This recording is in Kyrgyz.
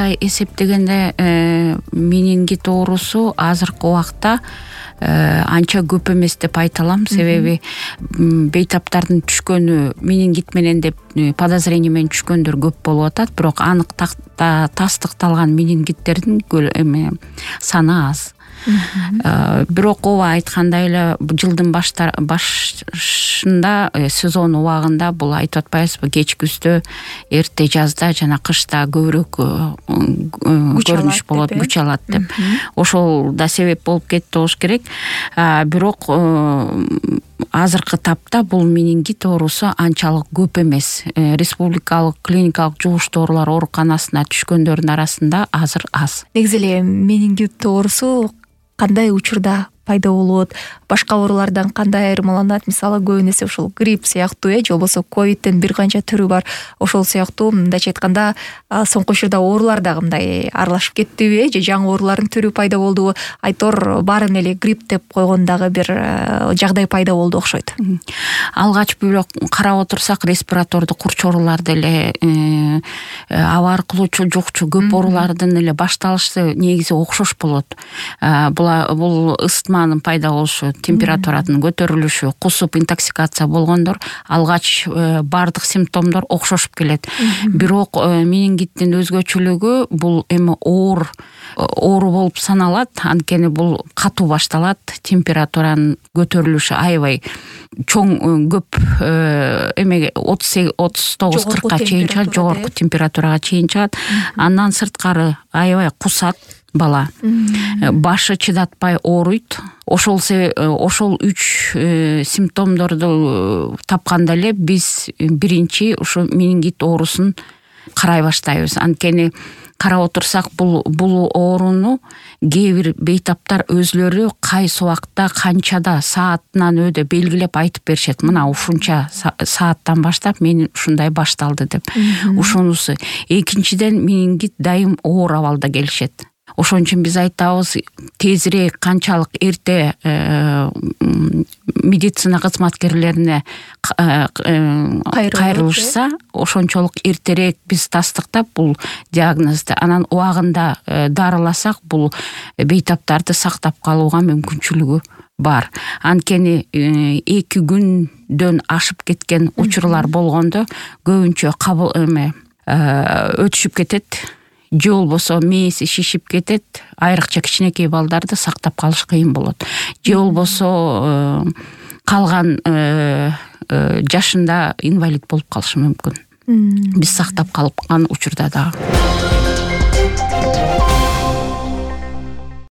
карай эсептегенде менингит оорусу азыркы убакта анча көп эмес деп айта алам. Себеби бейтаптардын түшкөнү менингит менен деп подозрение менен түшкөндөр көп болуп атат, бирок анык тастыкталган менингиттердин саны аз. Бирок ооба айткандай эле жылдын башында сезон убагында бул айтып атпайбызбы, кеч күздө, эрте жазда жана кышта көбүрөөк көрүнүш болот, күч алат деп. Ошол да себеп болуп кетти болуш керек. Бирок азыркы тапта бул менингит оорусу анчалык көп эмес. Республикалык клиникалык жугуштуу оорулар ооруканасына түшкөндөрдүн арасында азыр аз. Негизи эле менингит оорусу кандай учурда пайда болот, башка оорулардан кандай айырмаланат? Мисалы көбүнесе ушул грипп сыяктуу же болбосо ковидтин бир канча түрү бар. Ошол сыяктуу мындайча айтканда соңку учурда оорулар дагы мындай аралашып кеттиби же жаңы оорулардын түрү пайда болдубу? Айтор баарын эле грипп деп койгон дагы бир жагдай пайда болду окшойт. Алгач бирок карап отурсак респиратордук курч ооруларды эле аба аркылуучу жукчу көп оорулардын эле башталышы негизи окшош болот. Бул ысытманын пайда болушу, температуранын көтөрүлүшү, кусуп интоксикация болгондор алгач бардык симптомдор окшошуп келет. Бирок менингиттин өзгөчөлүгү бул эми оору болуп саналат. Анткени бул катуу башталат, температуранын көтөрүлүшү аябай чоң көп эмеге 39-40ка чейин чыгат, жогорку температурага чейин чыгат. Андан сырткары аябай кусат бала. Башы чыдатпай ооруйт. Ошол 3 симптомдорду тапканда эле биз биринчи ушу менингит оорусун карай баштайбыз. Анткени карап отурсак бул ооруну кээ бир бейтаптар өзлөрү кайсы убакта канчада саатынан өдө белгилеп айтып беришет. Мына ушунча сааттан баштап мен ушундай башталды деп. Ушунусу. Экинчиден менингит дайым оор абалда келишет. Ошон үчүн биз айтабыз, тезирээк канчалык эрте медицина кызматкерлерине кайрылышса, ошончолук эртерээк биз тастыктап бул диагнозду анан убагында дарыласак, бул бейтаптарды сактап калууга мүмкүнчүлүгү бар. Анткени 2 күндөн ашып кеткен учурлар болгондо көбүнчө өтүшүп кетет. Же болбосо мээси шишип кетет, айрыкча кичинекей балдарды сактап калыш кыйын болот. Же болбосо калган жашында инвалид болуп калышы мүмкүн. Биз сактап калган учурда дагы.